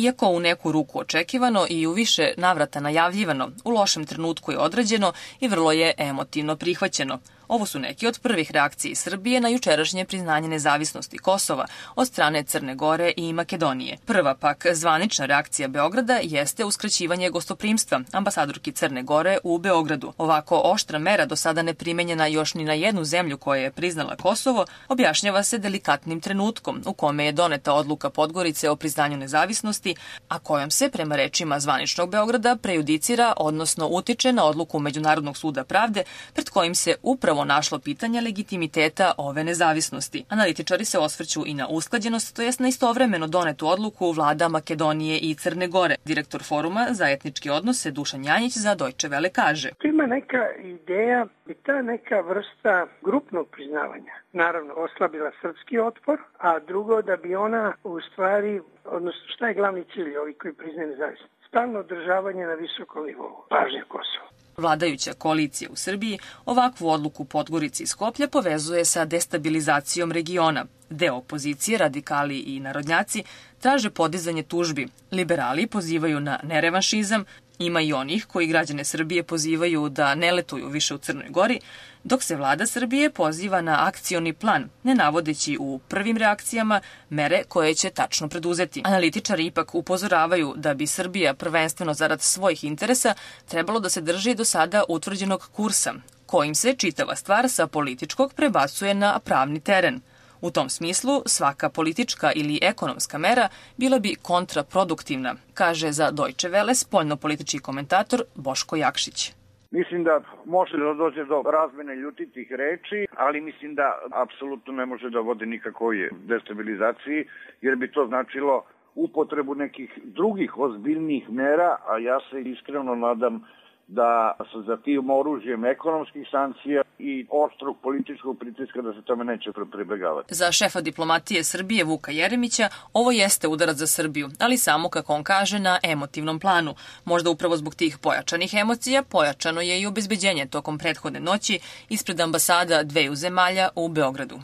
Iako u neku ruku očekivano i u više navrata najavljivano, u lošem trenutku je određeno i vrlo je emotivno prihvaćeno. Ovo su neki od prvih reakcija Srbije na jučerašnje priznanje nezavisnosti Kosova od strane Crne Gore i Makedonije. Prva pak zvanična reakcija Beograda jeste uskraćivanje gostoprimstva ambasadorki Crne Gore u Beogradu. Ovako oštra mera, do sada ne primenjena još ni na jednu zemlju koja je priznala Kosovo, objašnjava se delikatnim trenutkom u kome je doneta odluka Podgorice o priznanju nezavisnosti, a kojom se, prema rečima zvaničnog Beograda, prejudicira, odnosno utiče na odluku Međunarodnog suda pravde, pred kojim se upravo našlo pitanje legitimiteta ove nezavisnosti. Analitičari se osvrću i na usklađenost, to jest na istovremeno donetu odluku vlada Makedonije i Crne Gore. Direktor Foruma za etničke odnose Dušan Janjić za Deutsche Welle kaže: Ima neka ideja i ta neka vrsta grupnog priznavanja naravno oslabila srpski otpor, a drugo da bi ona u stvari, odnosno šta je glavni cilj ovih koji priznaju nezavisnost? Stalno održavanje na visokom nivou pažnje Kosova. Vladajuća koalicija u Srbiji ovakvu odluku Podgorice i Skoplja povezuje sa destabilizacijom regiona. Deo opozicije, radikali i narodnjaci, traže podizanje tužbi. Liberali pozivaju na nerevanšizam, ima i onih koji građane Srbije pozivaju da ne letuju više u Crnoj Gori, dok se vlada Srbije poziva na akcioni plan, ne navodeći u prvim reakcijama mere koje će tačno preduzeti. Analitičari ipak upozoravaju da bi Srbija prvenstveno zarad svojih interesa trebalo da se drži do sada utvrđenog kursa, kojim se čitava stvar sa političkog prebacuje na pravni teren. U tom smislu, svaka politička ili ekonomska mera bila bi kontraproduktivna, kaže za Deutsche Welle spoljnopolitički komentator Boško Jakšić. Mislim da može da dođe do razmene ljutitih reči, ali mislim da apsolutno ne može da vodi nikakvoj destabilizaciji, jer bi to značilo upotrebu nekih drugih ozbiljnijih mera, a ja se iskreno nadam da se za tim oružjem ekonomskih sankcija i oštrog političkog pritiska da se tome neće pribegavati. Za šefa diplomatije Srbije Vuka Jeremića ovo jeste udarac za Srbiju, ali samo, kako on kaže, na emotivnom planu. Možda upravo zbog tih pojačanih emocija pojačano je i obezbeđenje tokom prethodne noći ispred ambasada dveju zemalja u Beogradu.